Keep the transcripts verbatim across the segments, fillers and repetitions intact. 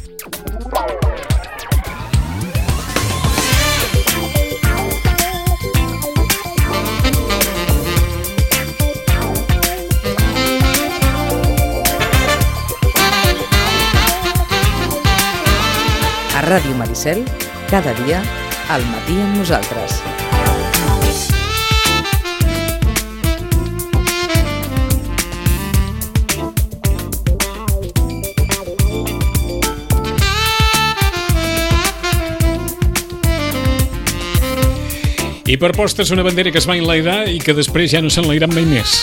A Ràdio Maricel, cada dia, al matí amb nosaltres. I per postres una bandera que es va enlairar i que després ja no s'enlairat mai més.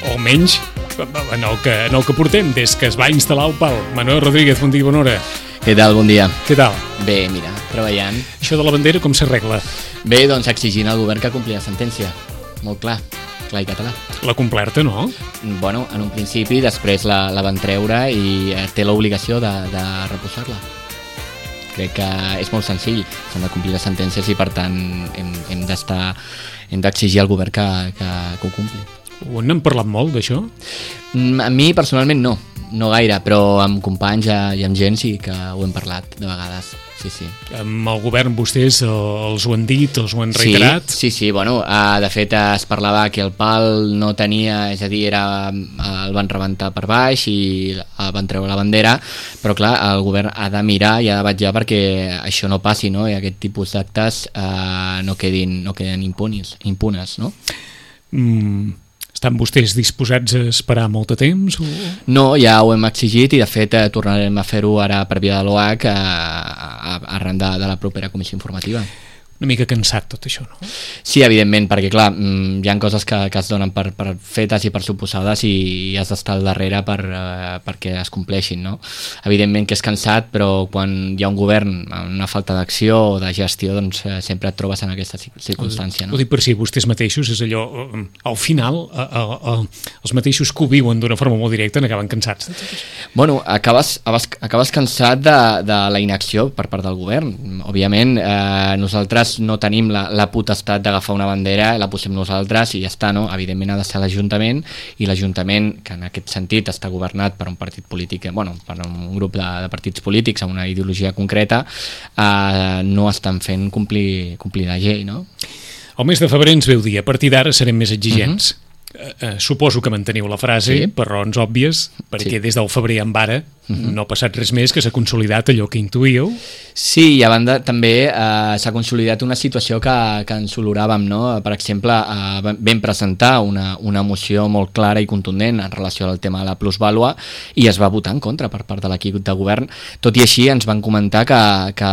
O menys en el, que, en el que portem des que es va instal·lar el pal. Manuel Rodríguez, bon dia, bona hora. Què tal? Bon dia. Què tal? Bé, mira, treballant. Això de la bandera com s'arregla? Bé, doncs exigint al govern que compli la sentència. Molt clar, clar i català. La complerta, no? Bueno, en un principi, després la, la van treure i té l'obligació de, de reposar-la. Crec que és molt senzill, s'han de complir les sentències i per tant hem, hem d'estar hem d'exigir al govern que, que, que ho compli. Ho n'hem parlat molt d'això? A mi personalment no, no gaire, però amb companys i amb gent sí que ho hem parlat de vegades. Sí, sí. Amb el govern vostès els ho han dit, els ho han reiterat? Sí, sí, sí, bueno, uh, de fet es parlava que el pal no tenia, és a dir, era, uh, el van rebentar per baix i uh, van treure la bandera, però clar, el govern ha de mirar i ha de vetllar perquè això no passi, no? I aquest tipus d'actes uh, no quedin, no queden impunis, impunes, no? Mm, estan vostès disposats a esperar molt de temps? O... No, ja ho hem exigit i de fet eh, tornarem a fer-ho ara per via de l'O H eh, arran de, de la propera comissió informativa. Una mica cansat tot això, no? Sí, evidentment, perquè clar, hi ha coses que, que es donen per, per fetes i per suposades i has d'estar al darrere per, uh, perquè es compleixin, no? Evidentment que és cansat, però quan hi ha un govern amb una falta d'acció o de gestió, doncs uh, sempre et trobes en aquesta circumstància, no? Ho dic per si vostès mateixos, és allò, al final, uh, uh, uh, els mateixos que ho viuen d'una forma molt directa n'acaben cansats. Bueno, acabes, acabes, acabes cansat de, de la inacció per part del govern. Òbviament, eh, nosaltres no tenim la, la potestat d'agafar una bandera, la posem nosaltres i ja està, no? Evidentment ha de ser l'Ajuntament i l'Ajuntament, que en aquest sentit està governat per un partit polític, bueno, per un grup de, de partits polítics amb una ideologia concreta, eh, no estan fent complir, complir la llei, no? El mes de febrer ens veu dir, a partir d'ara serem més exigents. Uh-huh. Uh, uh, suposo que manteniu la frase, sí, per raons òbvies, perquè sí, des del febrer en vara uh-huh, no ha passat res més, que s'ha consolidat allò que intuïeu. Sí, i a banda també eh, s'ha consolidat una situació que, que ens oloràvem, no? Per exemple, eh, vam presentar una, una moció molt clara i contundent en relació al tema de la plusvàlua i es va votar en contra per part de l'equip de govern. Tot i així ens van comentar que, que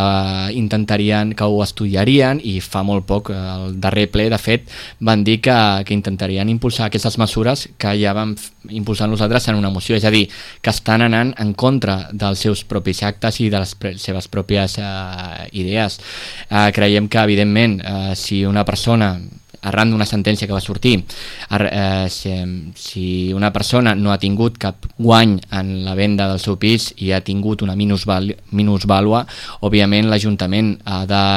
intentarien, que ho estudiarien i fa molt poc, el darrer ple, de fet, van dir que, que intentarien impulsar aquestes mesures que ja vam impulsar nosaltres en una moció, és a dir, que estan anant en contra dels seus propis actes i de les pre- seves pròpies uh, idees. Uh, creiem que, evidentment, uh, si una persona, arran d'una sentència que va sortir, uh, si, si una persona no ha tingut cap guany en la venda del seu pis i ha tingut una minusval- minusvàlua, òbviament l'Ajuntament ha de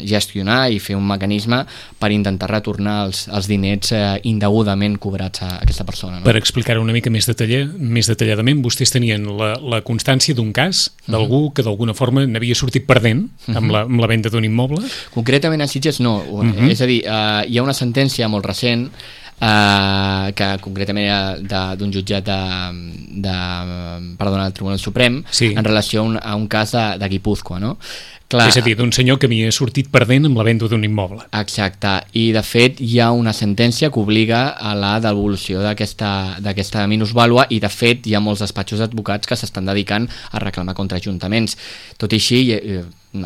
gestionar i fer un mecanisme per intentar retornar els, els diners eh, indegudament cobrats a aquesta persona, no? Per explicar-ho una mica més, detalla, més detalladament, vostès tenien la, la constància d'un cas d'algú uh-huh, que d'alguna forma n'havia sortit perdent uh-huh, amb, la, amb la venda d'un immoble? Concretament a Sitges no, uh-huh, és a dir, eh, hi ha una sentència molt recent Uh, que concretament era d'un jutjat de, de, perdona, del Tribunal Suprem, sí, en relació a un, a un cas de, de Guipúzcoa, no? Clar, és a dir, d'un senyor que havia sortit perdent amb la venda d'un immoble. Exacte, i de fet hi ha una sentència que obliga a la devolució d'aquesta d'aquesta minusvàlua i de fet hi ha molts despatxos d'advocats que s'estan dedicant a reclamar contra ajuntaments. Tot i així,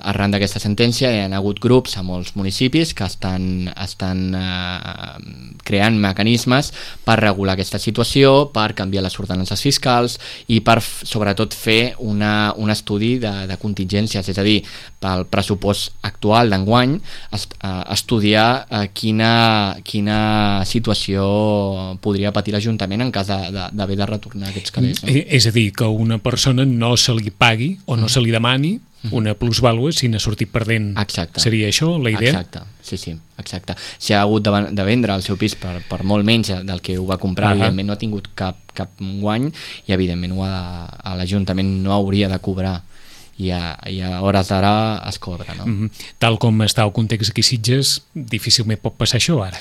arran d'aquesta sentència hi ha hagut grups a molts municipis que estan, estan eh, creant mecanismes per regular aquesta situació, per canviar les ordenances fiscals i per sobretot fer una, un estudi de, de contingències, és a dir, pel pressupost actual d'enguany est, eh, estudiar eh, quina, quina situació podria patir l'Ajuntament en cas d'haver de, de, de retornar aquests calés, no? És a dir, que una persona no se li pagui o no se li demani una plusvàlua si n'ha sortit perdent. Exacte. Seria això la idea? Exacte, sí, sí, exacte. Si ha hagut de, de vendre el seu pis per, per molt menys del que ho va comprar, uh-huh. evidentment no ha tingut cap, cap guany i evidentment ho ha, a l'Ajuntament no hauria de cobrar. I a, i a hores d'ara es cobra, no? Mm-hmm. Tal com està el context aquí a Sitges, difícilment pot passar això ara.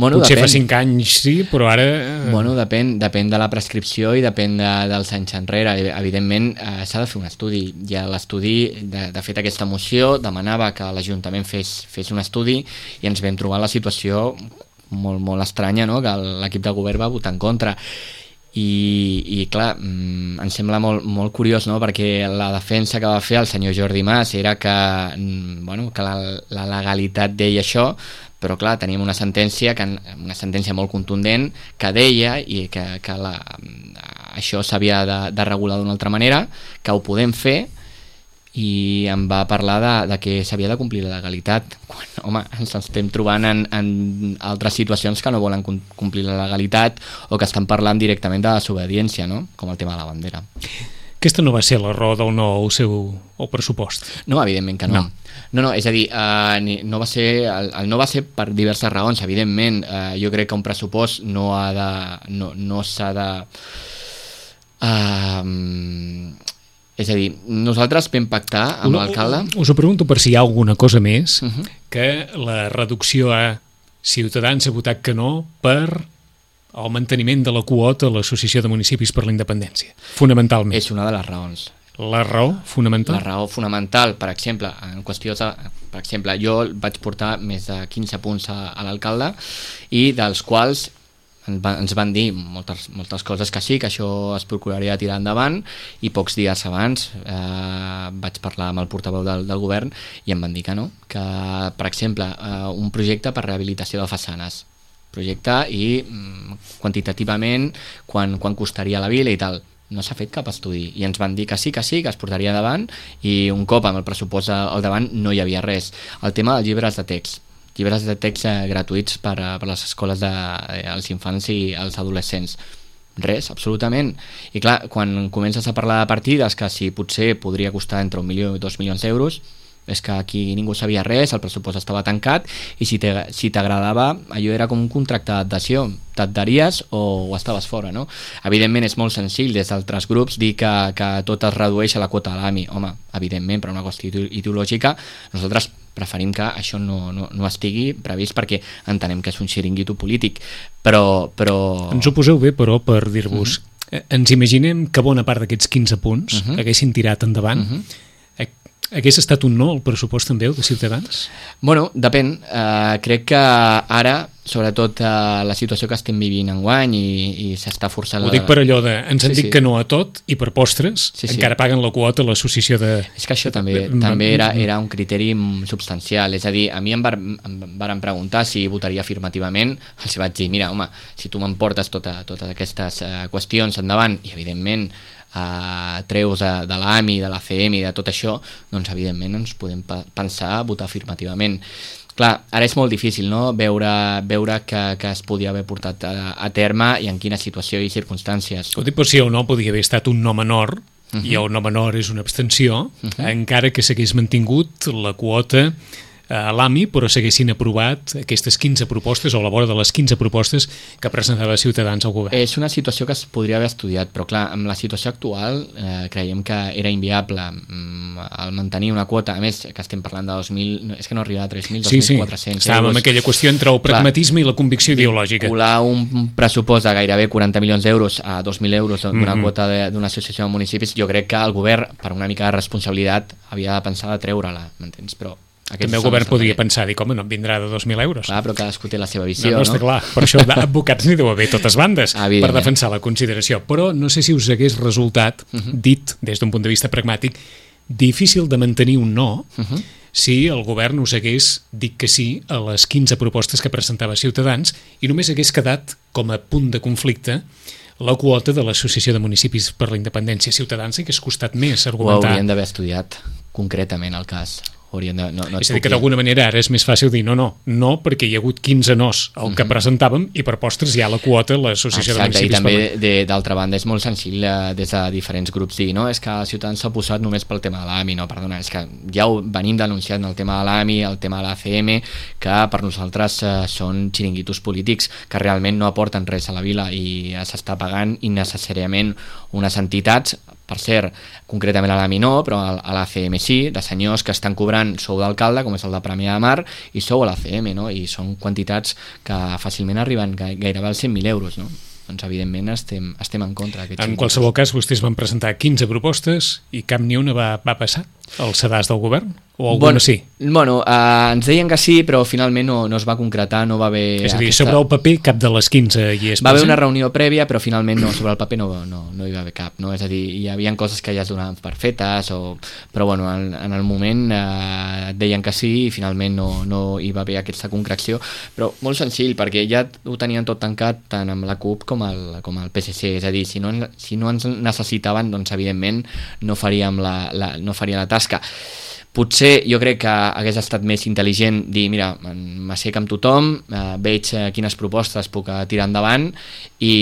Bueno, potser depèn. fa cinc anys sí, però ara... Bueno, depèn, depèn de la prescripció i depèn de, dels anys enrere. Evidentment eh, s'ha de fer un estudi. I l'estudi, de, de fet aquesta moció, demanava que l'Ajuntament fes, fes un estudi i ens vam trobar la situació molt, molt estranya, no? Que l'equip de govern va votar en contra. I, i clar, mm, em sembla molt, molt curiós, no? Perquè la defensa que va fer el senyor Jordi Mas era que, mm, bueno, que la, la legalitat deia això, però clar, teníem una sentència que, una sentència molt contundent que deia i que, que la, això s'havia de, de regular d'una altra manera, que ho podem fer, i em va parlar de, de que s'havia de complir la legalitat, quan, home, ens estem trobant en, en altres situacions que no volen complir la legalitat o que estan parlant directament de desobediència, no? Com el tema de la bandera. Aquesta no va ser la raó del no el seu el pressupost? No, evidentment que no. No, no, no és a dir, eh, no va ser, el, el no va ser per diverses raons, evidentment. Eh, jo crec que un pressupost no ha de... no, no s'ha de... Eh, és a dir, nosaltres vam pactar amb l'alcalde... Us ho pregunto per si hi ha alguna cosa més, uh-huh. que la reducció a Ciutadans ha votat que no per el manteniment de la quota a l'Associació de Municipis per la Independència, fonamentalment. És una de les raons. La raó fonamental? La raó fonamental, per exemple, en qüestió de, per exemple, jo vaig portar més de quinze punts a, a l'alcalde i dels quals ens van dir moltes, moltes coses que sí, que això es procuraria tirar endavant, i pocs dies abans eh, vaig parlar amb el portaveu del, del govern i em van dir que no, que per exemple eh, un projecte per rehabilitació de façanes, projecte i mm, quantitativament quan, quan costaria la vila i tal, no s'ha fet cap estudi i ens van dir que sí, que sí, que es portaria davant, i un cop amb el pressupost al davant no hi havia res. El tema dels llibres de text, llibres de text eh, gratuïts per, a, per les escoles dels de, infants i els adolescents. Res, absolutament. I clar, quan comences a parlar de partides que si potser podria costar entre un milió i dos milions d'euros, és que aquí ningú sabia res, el pressupost estava tancat, i si t'agradava, allò era com un contracte d'adhesió, t'adheries o, o estaves fora, no? Evidentment és molt senzill des d'altres grups dir que, que tot es redueix a la quota de l'A M I. Home, evidentment, per una qüestió ideològica, nosaltres preferim que això no, no, no estigui previst perquè entenem que és un xiringuito polític, però... però... Ens ho poseu bé, però, per dir-vos, uh-huh. ens imaginem que bona part d'aquests quinze punts uh-huh. haguessin tirat endavant. Uh-huh. Hagués estat un no el pressupost també, el de Ciutadans? Bueno, depèn. Uh, crec que ara, sobretot uh, la situació que estem vivint enguany i, i s'està forçant... Ho dic per allò de, ens han sí, dit sí. que no a tot i per postres sí, sí. encara paguen la quota a l'associació de... És que això també, també era, era un criteri substancial, és a dir, a mi em, var, em varen preguntar si votaria afirmativament, els vaig dir, mira, home, si tu m'emportes tota, totes aquestes uh, qüestions endavant i evidentment Uh, treus de, de l'A M I, de l'A C M i de tot això, doncs evidentment ens podem pa- pensar a votar afirmativament. Clar, ara és molt difícil, no?, veure, veure que, que es podia haver portat a, a terme i en quina situació i circumstàncies. Ho dic per si el no podia haver estat un no menor, uh-huh. i el no menor és una abstenció, uh-huh. encara que s'hagués mantingut la quota a l'A M I, però s'haguessin aprovat aquestes quinze propostes o a la vora de les quinze propostes que presentava Ciutadans al govern. És una situació que es podria haver estudiat, però clar, amb la situació actual eh, creiem que era inviable mm, el mantenir una quota, a més que estem parlant de dos mil, és que no arriba a tres mil, dos mil quatre-cents sí, sí. Estàvem en aquella qüestió entre el pragmatisme clar, i la convicció ideològica. Vincular un pressupost de gairebé quaranta milions d'euros a dos mil euros d'una mm-hmm. quota d'una associació de municipis, jo crec que el govern, per una mica de responsabilitat, havia de pensar de treure-la, m'entens? Però també el govern podria pensar, dir, com no em vindrà de dos mil euros. Clar, però cadascú té la seva visió, no? No, no està clar, per això d'advocats n'hi deu haver totes bandes per defensar la consideració, però no sé si us hagués resultat, uh-huh. dit des d'un punt de vista pragmàtic, difícil de mantenir un no uh-huh. si el govern us hagués dit que sí a les quinze propostes que presentava Ciutadans i només hagués quedat com a punt de conflicte la quota de l'Associació de Municipis per la Independència. Ciutadans hagués costat més argumentar. Ho haurien d'haver estudiat concretament el cas. haurien de... No, no és a dir, que d'alguna manera ara és més fàcil dir no, no, no, perquè hi ha hagut quinze nos al que uh-huh. presentàvem i per postres hi ha la quota l'associació de municipis. Exacte, i també de, d'altra banda és molt senzill eh, des de diferents grups dir, no, és que Ciutadans s'ha posat només pel tema de l'A M I, no, perdona, és que ja ho venim denunciant el tema de l'A M I, el tema de l'A C M, que per nosaltres eh, són xiringuitos polítics que realment no aporten res a la vila i s'està pagant innecessàriament unes entitats, per cert, concretament a l'A M I no, però a l'A C M sí, de senyors que estan cobrant sou d'alcalde, com és el de Premià de Mar, i sou a l'A C M, no? I són quantitats que fàcilment arriben gairebé als cent mil euros, no? Doncs evidentment estem, estem en contra. En qualsevol cas, vostès van presentar quinze propostes i cap ni una va, va passar al sedàs del govern? O alguna bueno, sí? Bueno, eh, ens deien que sí, però finalment no, no es va concretar, no va haver... És a dir, aquesta... sobre el paper cap de les quinze hi és va haver una reunió prèvia, però finalment no, sobre el paper no, no, no hi va haver cap, no? És a dir, hi havia coses que ja es donaven per fetes, o... però bueno, en, en el moment eh, deien que sí i finalment no, no hi va haver aquesta concreció, però molt senzill, perquè ja ho tenien tot tancat tant amb la CUP com el, com el P S C, és a dir, si no, si no ens necessitaven, doncs evidentment no faríem la, la, no faria la tasca. Potser jo crec que hagués estat més intel·ligent dir, mira, m'assec amb tothom, eh, veig eh, quines propostes puc eh, tirar endavant i,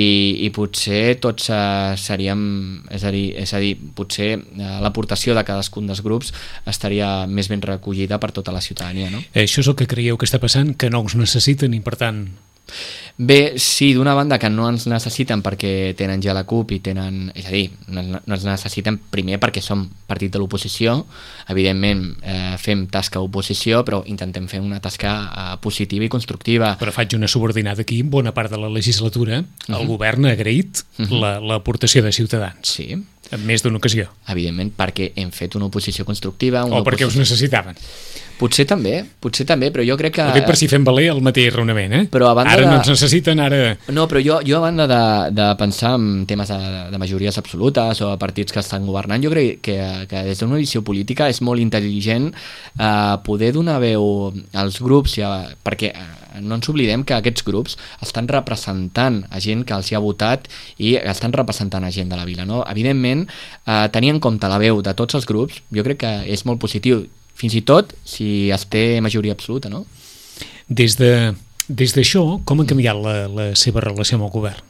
i potser tots eh, seríem, és a dir, és a dir potser eh, l'aportació de cadascun dels grups estaria més ben recollida per tota la ciutadania, no? Això és el que creieu que està passant, que no us necessiten i per tant... Bé, sí, d'una banda que no ens necessiten perquè tenen ja la CUP i tenen, és a dir, no, no ens necessiten primer perquè som partit de l'oposició, evidentment eh, fem tasca oposició, però intentem fer una tasca eh, positiva i constructiva. Però faig una subordinada aquí, en bona part de la legislatura uh-huh. el govern ha agraït uh-huh. la, l'aportació de Ciutadans. Sí. En més d'una ocasió. Evidentment, perquè hem fet una oposició constructiva. O Una perquè oposició... us necessitaven. Potser també, potser també, però jo crec que... Ho dic per si fem valer el mateix raonament, eh? Però a banda ara de... no ens necessiten, ara... No, però jo, jo a banda de, de pensar en temes de, de majories absolutes o de partits que estan governant, jo crec que, que des d'una visió política és molt intel·ligent eh, poder donar veu als grups, ja, perquè no ens oblidem que aquests grups estan representant a gent que els hi ha votat i estan representant a gent de la vila, no? Evidentment, eh, tenir en compte la veu de tots els grups, jo crec que és molt positiu, fins i tot si es té majoria absoluta, no? Des de, des d'això, com ha canviat la, la seva relació amb el govern?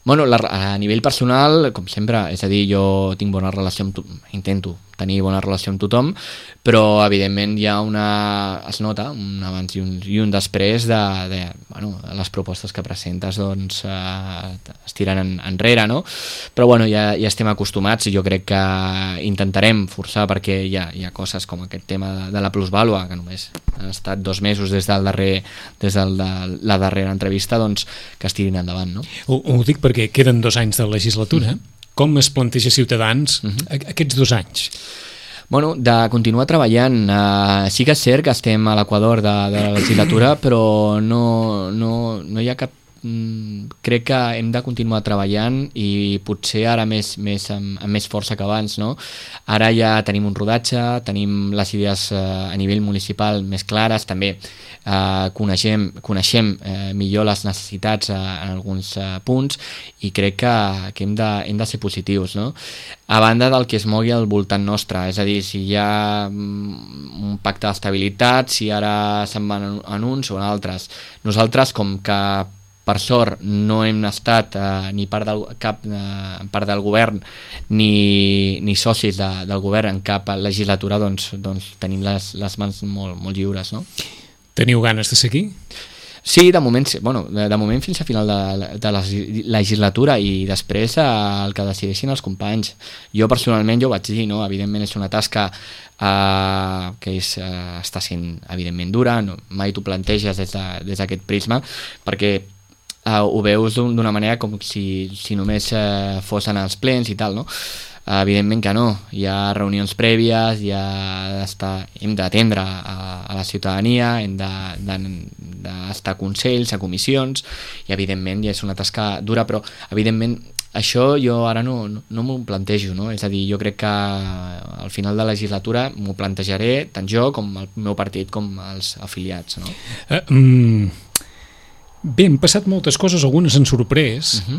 Bueno, la, a nivell personal, com sempre, és a dir, jo tinc bona relació amb tu, intento tenir bona relació amb tothom, però evidentment hi ha una, es nota un abans i un, i un després de, de bueno, les propostes que presentes doncs eh, es tiren en, enrere, no? Però bueno, ja, ja estem acostumats i jo crec que intentarem forçar perquè hi ha, hi ha coses com aquest tema de, de la plusvàlua, que només han estat dos mesos des del darrer, des de la, la darrera entrevista, doncs que es tirin endavant, no? Ho, ho dic perquè queden dos anys de legislatura. Mm-hmm. Com es planteja Ciutadans uh-huh. aquests dos anys? Bueno, de continuar treballant. Uh, sí que és cert que estem a l'equador de, de la legislatura, però no, no, no hi ha cap... Mm, crec que hem de continuar treballant i potser ara més, més amb, amb més força que abans, no? Ara ja tenim un rodatge, tenim les idees uh, a nivell municipal més clares, també uh, coneixem, coneixem uh, millor les necessitats uh, en alguns uh, punts i crec que, que hem, de, hem de ser positius, no? A banda del que es mogui al voltant nostre, és a dir, si hi ha un pacte d'estabilitat, si ara se'n van en uns o en altres. Nosaltres, com que per sort no hem estat eh, ni part del, cap eh, part del govern ni, ni socis de, del govern en cap legislatura, doncs, doncs tenim les, les mans molt, molt lliures, no? Teniu ganes de seguir? Sí, de moment, bueno, de, de moment fins a final de, de la legislatura i després eh, el que decideixin els companys. Jo personalment jo ho vaig dir, no? Evidentment és una tasca eh, que és, eh, està sent evidentment dura, no? Mai t'ho planteges des, de, des d'aquest prisma perquè Uh, ho veus d'una manera com si, si només uh, fossin els plens i tal, no? Uh, evidentment que no, hi ha reunions prèvies, hi ha d'estar, hem d'atendre a, a la ciutadania, hem d'estar de, de, a consells, a comissions, i evidentment ja és una tasca dura, però evidentment això jo ara no, no, no m'ho plantejo, no? És a dir, jo crec que al final de la legislatura m'ho plantejaré tant jo com el meu partit com els afiliats, no? Uh, mm... Bé, han passat moltes coses, algunes han sorprès, uh-huh.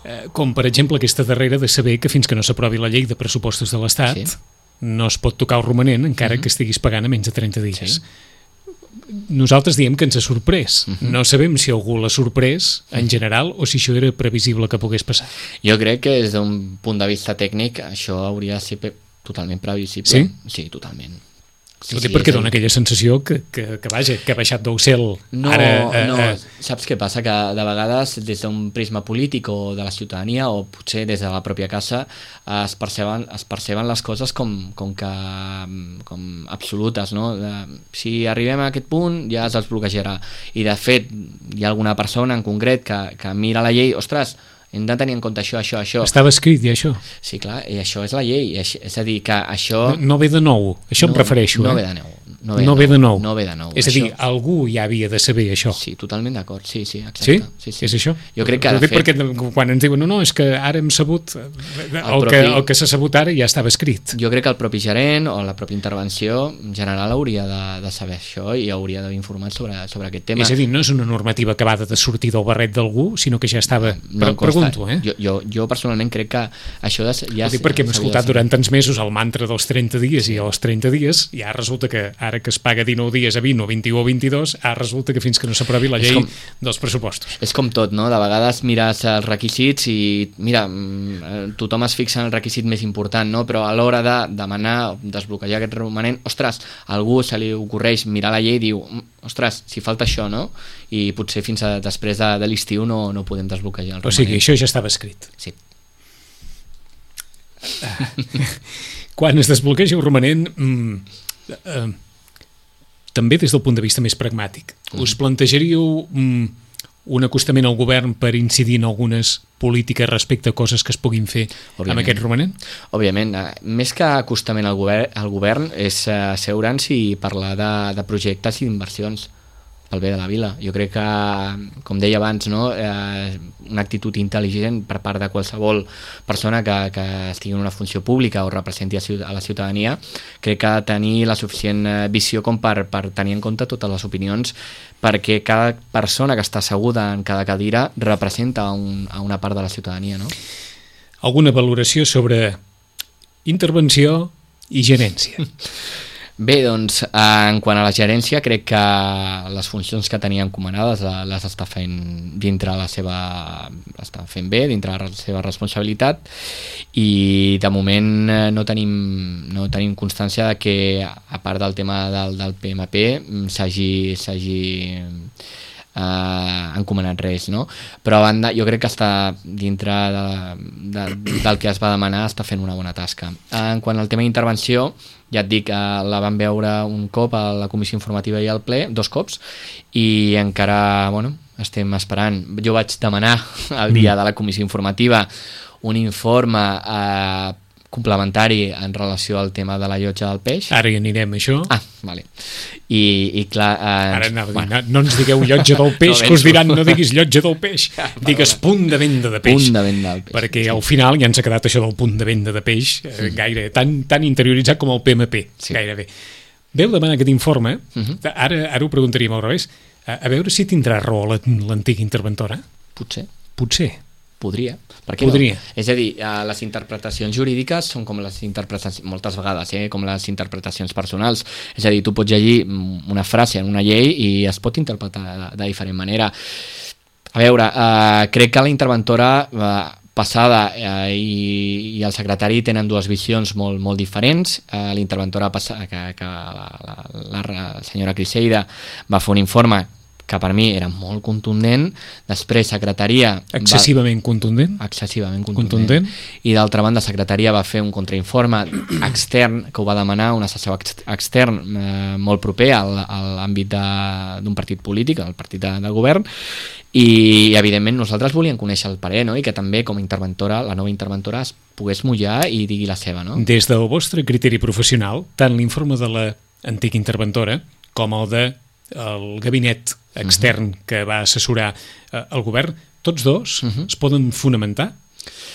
eh, com per exemple aquesta darrera de saber que fins que no s'aprovi la llei de pressupostos de l'Estat sí. no es pot tocar el romanent encara uh-huh. que estiguis pagant a menys de trenta dies. Sí. Nosaltres diem que ens ha sorprès. Uh-huh. No sabem si algú l'ha sorprès en general o si això era previsible que pogués passar. Jo crec que des d'un punt de vista tècnic això hauria de ser pe- totalment previsible. Sí? Sí, totalment. Sí, Ho dic sí, perquè és dona el- aquella sensació que, que, que vaja, que ha baixat del cel. No, Ara, eh, no, eh, saps què passa? Que de vegades des d'un prisma polític o de la ciutadania o potser des de la pròpia casa es perceben, es perceben les coses com, com que com absolutes, no? De, si arribem a aquest punt ja es desbloquejarà. I de fet hi ha alguna persona en concret que, que mira la llei, ostres, hem de tenir en compte això, això, això. estava escrit, i això. Sí, clar, i això és la llei, és, és a dir, que això... No, no ve de nou, això no, em refereixo. No eh? ve de nou. No No ve de nou. No ve de nou. És a dir, Això- algú ja havia de saber això. Sí, totalment d'acord, sí, sí, exacte. Sí? sí, sí. És això? Jo crec que, Ho de dic fet... perquè quan ens diuen no, no, és que ara hem sabut el, propi- que, el que s'ha sabut ara ja estava escrit. Jo crec que el propi gerent o la pròpia intervenció general hauria de, de saber això i hauria d'haver informat sobre, sobre aquest tema. És a dir, no és una normativa acabada de sortir del barret d'algú, sinó que ja estava... No em Pre consta. pregunto, eh? Jo, jo, jo personalment crec que això de, ja... Ho dic perquè hem s'hauria de escoltat saber. durant tants mesos el mantra dels trenta dies i als trenta dies, i ara resulta que ara que es paga dinou dies a vint o vint-i-u o vint-i-dos, ara resulta que fins que no s'aprovi la És llei com- dels pressupostos. És com tot, no? De vegades mires els requisits i, mira, mm, tothom es fixa en el requisit més important, no? Però a l'hora de demanar, desbloquejar aquest romanent, ostres, a algú se li ocorreix mirar la llei i diu, "Mm, ostres, si falta això, no? I potser fins a després de, de l'estiu no, no podem desbloquejar el romanent. O sigui, això ja estava escrit. Sí. Quan es desbloqueja el romanent, mm, eh, també des del punt de vista més pragmàtic, us plantejaríeu mm, un acostament al govern per incidir en algunes polítiques respecte a coses que es puguin fer Òbviament. amb aquest romanent? Òbviament, eh, més que acostament al govern, al govern és eh, asseure'ns i parlar de, de projectes i d'inversions pel bé de la vila. Jo crec que, com deia abans, no, eh, una actitud intel·ligent per part de qualsevol persona que, que estigui en una funció pública o representi a, ciut- a la ciutadania, crec que ha de tenir la suficient eh, visió com per, per tenir en compte totes les opinions, perquè cada persona que està asseguda en cada cadira representa un, a una part de la ciutadania, no? Alguna valoració sobre intervenció i gerència? Bé, doncs, eh, en quant a la gerència, crec que les funcions que tenia encomanades eh, les està fent dintre la seva... està fent bé, dintre la seva responsabilitat, i de moment eh, no tenim, no tenim constància de que, a part del tema del, del P M P, mm, s'hagi s'hagi eh, encomanat res, no? Però a banda, jo crec que està dintre de, de, del que es va demanar, està fent una bona tasca. En quant al tema d'intervenció, ja et dic, eh, la vam veure un cop a la comissió informativa i al ple, dos cops, i encara, bueno, estem esperant. Jo vaig demanar el dia de la comissió informativa un informe eh, complementari en relació al tema de la llotja del peix. Ara hi anirem, això. Ah, vale. I, i clar... Eh, Ara anava a dir, bueno. no, no ens digueu llotja del peix, No que us penso. diran no diguis llotja del peix, digues punt de venda de peix. Punt de venda del peix. Perquè al final ja ens ha quedat això del punt de venda de peix eh, gaire, tan, tan interioritzat com el P M P, Sí. gairebé. Veu demanar aquest informe, Mhm. ara, ara ho preguntaríem al revés, a, a veure si tindrà raó la- l'antiga interventora. Potser. Potser. Podria. Per què Podria. no? És a dir, eh, les interpretacions jurídiques són com les interpretacions, moltes vegades, eh, com les interpretacions personals. És a dir, tu pots llegir mm, una frase en una llei i es pot interpretar de, de diferent manera. A veure, eh, crec que la interventora eh, passada eh, i, i el secretari tenen dues visions molt, molt diferents. Eh, la interventora passada, que, que la, la, la, la senyora Criseida va fer un informe que per mi era molt contundent, després secretaria... Excessivament va... contundent. Excessivament contundent. Contundent. I d'altra banda, secretaria va fer un contrainforme extern, que ho va demanar un assessor ex extern eh, molt proper al, a l'àmbit d'un partit polític, el partit de, del govern, i evidentment nosaltres volíem conèixer el parer, no? I que també com a interventora, la nova interventora es pogués mullar i digui la seva, no? Des del vostre criteri professional, tant l'informe de l'antiga interventora com el de el gabinet extern uh -huh. que va assessorar eh, el govern, tots dos uh -huh. es poden fonamentar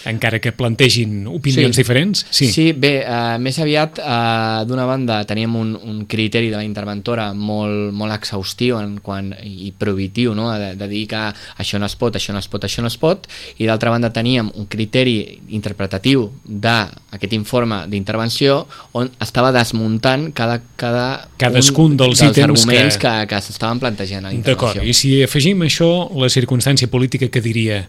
encara que plantegin opinions sí. diferents? Sí, sí bé, uh, més aviat, uh, d'una banda, teníem un, un criteri de la interventora molt, molt exhaustiu en quant, i prohibitiu, no? de, de dir que això no es pot, això no es pot, això no es pot, i d'altra banda teníem un criteri interpretatiu d'aquest informe d'intervenció on estava desmuntant cada, cada cadascun dels, dels ítems arguments que, que, que s'estaven plantejant a la intervenció. D'acord, i si afegim això, la circumstància política que diria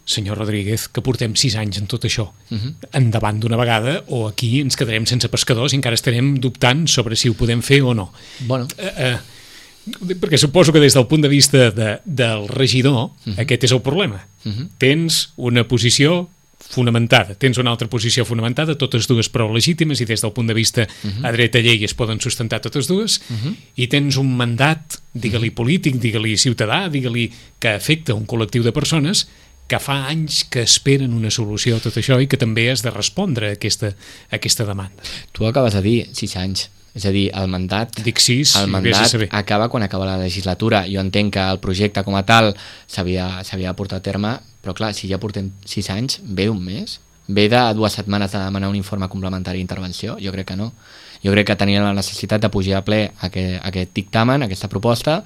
senyor Rodríguez, que portem sis anys en tot això, uh-huh. endavant d'una vegada, o aquí ens quedarem sense pescadors i encara estarem dubtant sobre si ho podem fer o no. Bueno. Eh, eh, perquè suposo que des del punt de vista de, del regidor, uh-huh. aquest és el problema. Uh-huh. Tens una posició fonamentada, tens una altra posició fonamentada, totes dues prou legítimes i des del punt de vista uh-huh. a dreta llei es poden sustentar totes dues, uh-huh. i tens un mandat, digue-li polític, digue-li ciutadà, digue-li que afecta un col·lectiu de persones que fa anys que esperen una solució a tot això i que també has de respondre a aquesta, a aquesta demanda. Tu acabes de dir sis anys, és a dir, el mandat, Dic sis, el mandat acaba quan acaba la legislatura. Jo entenc que el projecte com a tal s'havia de portar a terme, però clar, si ja portem sis anys, ve un mes? Ve de dues setmanes de demanar un informe complementari d'intervenció? Jo crec que no. Jo crec que tenien la necessitat de pujar a ple aquest, aquest dictamen, aquesta proposta,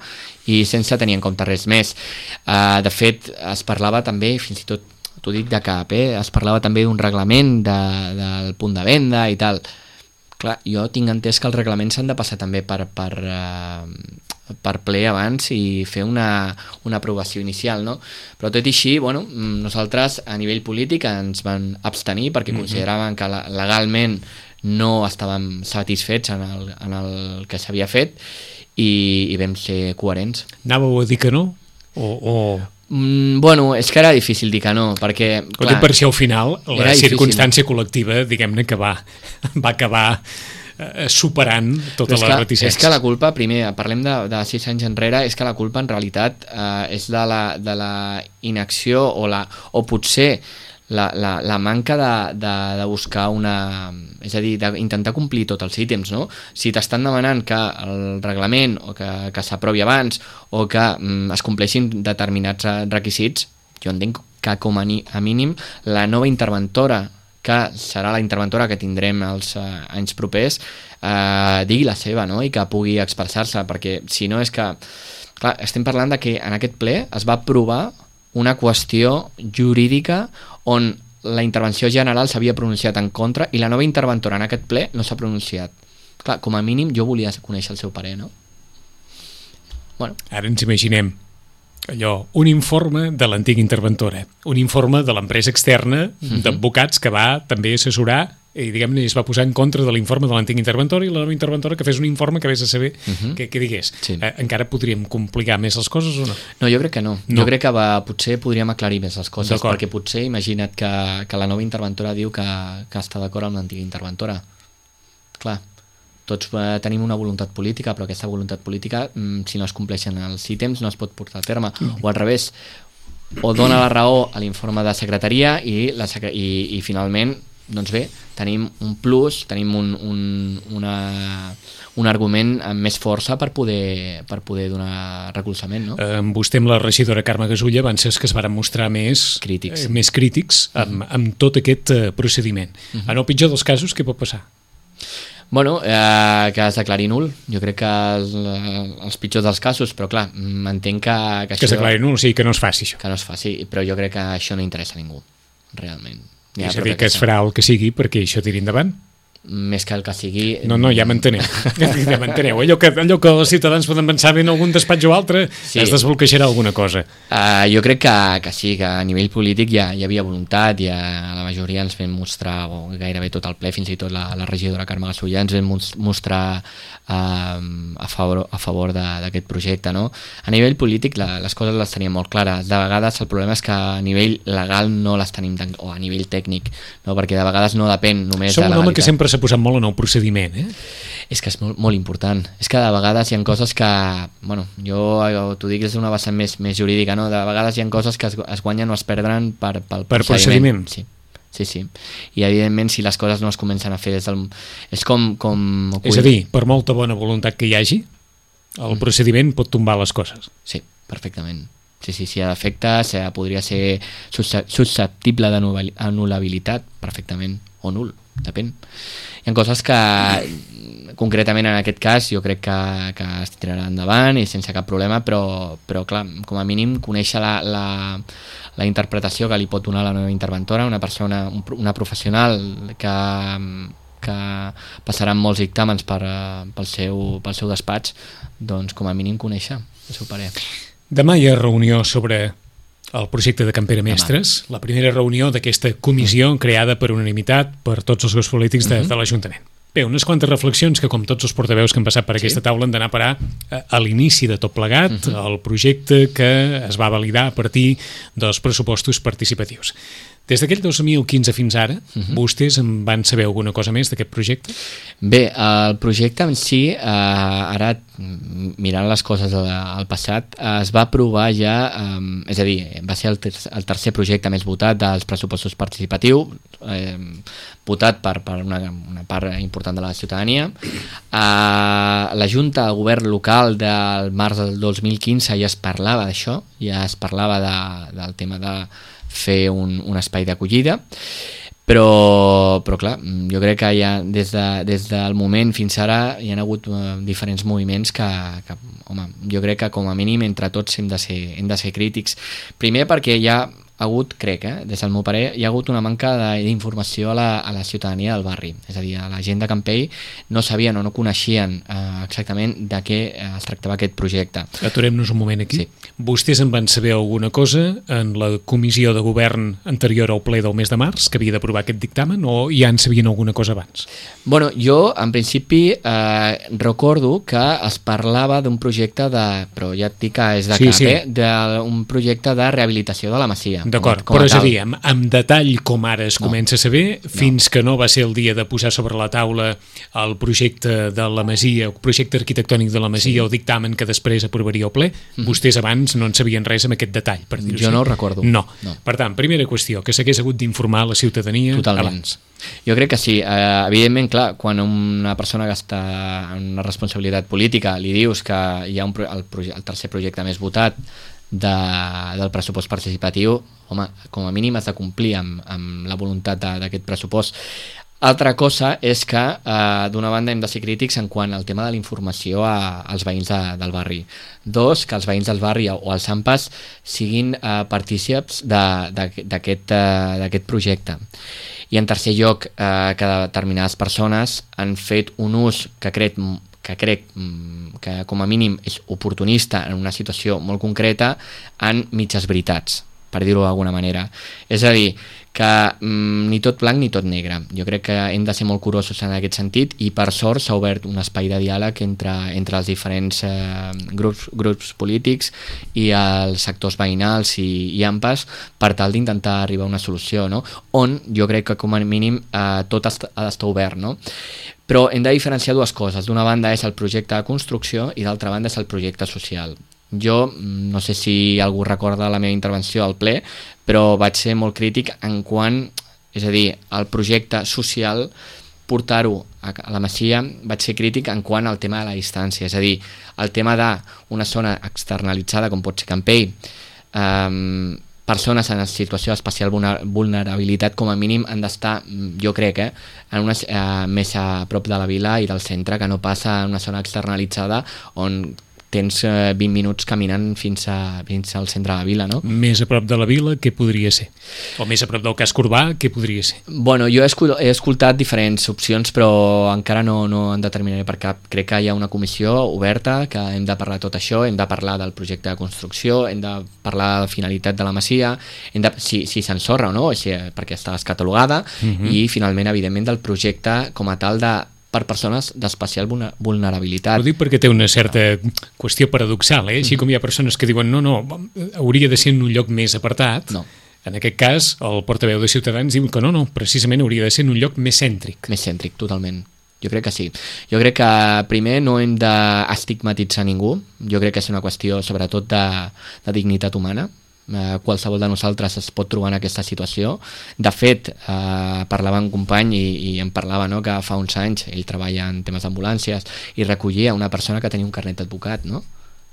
i sense tenir en compte res més. Uh, de fet, es parlava també, fins i tot, t'ho dic de cap, eh? es parlava també d'un reglament de, del punt de venda i tal. Clar, jo tinc entès que els reglaments s'han de passar també per, per, uh, per ple abans i fer una, una aprovació inicial, no? Però tot i així, bueno, nosaltres a nivell polític ens van abstenir perquè mm-hmm. consideraven que la, legalment no estàvem satisfets en el, en el que s'havia fet i, i vam ser coherents. Anàveu a dir que no? O, o... Mm, bueno, és que era difícil dir que no, perquè... Clar, per si al final la circumstància difícil. Col·lectiva, diguem-ne, que va, va acabar eh, superant totes les reticències. És que la culpa, primer, parlem de, de sis anys enrere, és que la culpa en realitat eh, és de la, de la inacció o, la, o potser La, la, la manca de, de, de buscar una... És a dir, d'intentar complir tots els ítems, no? Si t'estan demanant que el reglament o que, que s'aprovi abans o que mm, es compleixin determinats requisits, jo entenc que com a, ni, a mínim la nova interventora, que serà la interventora que tindrem els eh, anys propers, eh, digui la seva, no? I que pugui expressar-se, perquè si no és que... Clar, estem parlant de que en aquest ple es va aprovar una qüestió jurídica on la intervenció general s'havia pronunciat en contra i la nova interventora en aquest ple no s'ha pronunciat. Clar, com a mínim jo volia conèixer el seu parer, no? Bueno. Ara ens imaginem allò, un informe de l'antiga interventora, un informe de l'empresa externa uh-huh. d'advocats que va també assessorar i diguem-ne es va posar en contra de l'informe de l'antiga interventora i la nova interventora que fes un informe que vés a saber uh-huh. que, que digués. Sí. Eh, encara podríem complicar més les coses o no? No, jo crec que no. no. Jo crec que va, potser podríem aclarir més les coses, perquè potser imagina't que, que la nova interventora diu que, que està d'acord amb l'antiga interventora. Clar, tots eh, tenim una voluntat política, però aquesta voluntat política, mm, si no es compleixen els ítems, no es pot portar a terme. Mm. O al revés, o dona la raó a l'informe de secretaria i, la secre- i, i finalment doncs bé, tenim un plus, tenim un, un, una, un argument amb més força per poder, per poder donar recolzament, no? Eh, amb vostè, amb la regidora Carme Gasulla, van ser els que es van mostrar més crítics, eh, més crítics amb, amb tot aquest eh, procediment. Uh-huh. En el pitjor dels casos, què pot passar? Bueno, eh, que es declari nul. Jo crec que els, els pitjors dels casos, però clar, m'entenc que... Que, que es declari nul, o sigui, que no es faci això. Que no es faci, però jo crec que això no interessa a ningú, realment. Ja, és a dir, que, que es farà el que sigui perquè això tiri endavant? Més que el que sigui... No, no, ja m'enteneu. Ja m'enteneu. Allò que, allò que els ciutadans poden pensar en algun despatx o altre, sí. Es desbloquejarà alguna cosa. Uh, jo crec que, que sí, que a nivell polític ja hi havia voluntat, ja la majoria ens vam mostrar, o gairebé tot el ple, fins i tot la, la regidora Carme Gasulla, ens vam mostrar uh, a favor, a favor d'aquest projecte, no? A nivell polític la, les coses les teníem molt clares. De vegades el problema és que a nivell legal no les tenim tan, o a nivell tècnic, no? Perquè de vegades no depèn només Som de la legalitat. Som un home que sempre s'ha posat molt en el procediment, eh? És que és molt, molt important. És que de vegades hi ha coses que, bueno, jo t'ho dic des d'una vessant més, més jurídica, no? De vegades hi ha coses que es, es guanyen o es perdran per, pel per procediment. Sí. Sí, sí. I evidentment si les coses no es comencen a fer des del... És com... com... És a dir, per molta bona voluntat que hi hagi, el mm. procediment pot tombar les coses. Sí, perfectament. Sí, sí, si hi ha defectes, eh, podria ser susceptible d'anul·labilitat, perfectament, o nul, depèn. Hi ha coses que, concretament en aquest cas, jo crec que, que es tirarà endavant i sense cap problema, però, però clar, com a mínim, conèixer la, la, la interpretació que li pot donar la nova interventora, una persona, una professional que, que passaran molts dictàmens per, pel, seu, pel seu despatx, doncs com a mínim conèixer el seu parer. Demà hi ha reunió sobre el projecte de Campera Mestres, Demà. La primera reunió d'aquesta comissió creada per unanimitat per tots els grups polítics de, uh-huh. de l'Ajuntament. Bé, unes quantes reflexions que, com tots els portaveus que han passat per sí. aquesta taula, han d'anar a parar a, a l'inici de tot plegat, uh-huh. el projecte que es va validar a partir dels pressupostos participatius. Des d'aquell dos mil quinze fins ara, uh-huh. vostès en van saber alguna cosa més d'aquest projecte? Bé, el projecte en si, eh, ara mirant les coses al, al passat, eh, es va aprovar ja, eh, és a dir, va ser el, ter el tercer projecte més votat dels pressupostos participatius, eh, votat per, per una, una part important de la ciutadania. Eh, la Junta de Govern local del març del dos mil quinze ja es parlava d'això, ja es parlava de, del tema de fer un, un espai d'acollida, però, però clar, jo crec que ja des, de, des del moment fins ara hi ha hagut uh, diferents moviments que, que, home, jo crec que com a mínim entre tots hem de ser, hem de ser crítics. Primer perquè hi ha hagut, crec, eh, des del meu parer, hi ha hagut una manca d'informació a, la, a la ciutadania del barri. És a dir, a la gent de Campell no sabien o no coneixien eh, exactament de què es tractava aquest projecte. Aturem-nos un moment aquí. Sí. Vostès en van saber alguna cosa en la comissió de govern anterior al ple del mes de març, que havia d'aprovar aquest dictamen, o ja en sabien alguna cosa abans? Bueno, jo, en principi, eh, recordo que es parlava d'un projecte de, però ja et dic que és de sí, cap, sí. eh, d'un projecte de rehabilitació de la masia. D'acord, però és a dir, amb, amb detall com ara es no. comença a saber, fins no. que no va ser el dia de posar sobre la taula el projecte de la masia, el projecte arquitectònic de la masia, sí. o dictamen que després aprovaria el ple, mm-hmm. vostès abans no en sabien res amb aquest detall, per dir-ho Jo així. no ho recordo. No. no. Per tant, primera qüestió, que s'hagués hagut d'informar la ciutadania Totalment. abans. Jo crec que sí. Eh, evidentment, clar, quan una persona que està en una responsabilitat política li dius que hi ha un, el, el tercer projecte més votat de, del pressupost participatiu, home, com a mínim has de complir amb, amb la voluntat d'aquest pressupost. Altra cosa és que, eh, d'una banda, hem de ser crítics en quant al tema de la informació a, als veïns de, del barri. Dos, que els veïns del barri o els AMPAs siguin eh, partícips d'aquest eh, projecte. I en tercer lloc, eh, que determinades persones han fet un ús que crec que crec que com a mínim és oportunista en una situació molt concreta en mitges veritats, per dir-ho d'alguna manera. És a dir, que mm, ni tot blanc ni tot negre. Jo crec que hem de ser molt curosos en aquest sentit i per sort s'ha obert un espai de diàleg entre, entre els diferents eh, grups, grups polítics i els sectors veïnals i, i AMPAs per tal d'intentar arribar a una solució, no? On jo crec que com a mínim eh, tot ha d'estar obert, no? Però hem de diferenciar dues coses. D'una banda és el projecte de construcció i d'altra banda és el projecte social. Jo, no sé si algú recorda la meva intervenció al ple, però vaig ser molt crític en quant, és a dir, el projecte social, portar-ho a la Masia, vaig ser crític en quant al tema de la distància, és a dir, el tema d'una zona externalitzada com pot ser Campell, eh, persones en situació d'especial vulnerabilitat com a mínim han d'estar, jo crec, eh, en una, eh, més a prop de la vila i del centre, que no passa en una zona externalitzada on tens eh, vint minuts caminant fins, a, fins al centre de la vila, no? Més a prop de la vila, què podria ser? O més a prop del casc urbà, què podria ser? Bueno, jo he, escol he escoltat diferents opcions, però encara no, no en determinaré per cap. Crec que hi ha una comissió oberta, que hem de parlar de tot això, hem de parlar del projecte de construcció, hem de parlar de la finalitat de la masia, hem de, si, si s'ensorra o no, si, perquè està descatalogada, uh-huh. i finalment, evidentment, del projecte com a tal de per persones d'especial vulnerabilitat. Ho dic perquè té una certa qüestió paradoxal, eh? Així com hi ha persones que diuen no, no, hauria de ser en un lloc més apartat, no. En aquest cas el portaveu de Ciutadans diu que no, no, precisament hauria de ser en un lloc més cèntric. Més cèntric, totalment. Jo crec que sí. Jo crec que primer no hem d'estigmatitzar ningú, jo crec que és una qüestió sobretot de, de dignitat humana. Uh, qualsevol de nosaltres es pot trobar en aquesta situació. De fet, uh, parlava amb un company i, i em parlava, no?, que fa uns anys ell treballa en temes d'ambulàncies i recollia una persona que tenia un carnet d'advocat, no?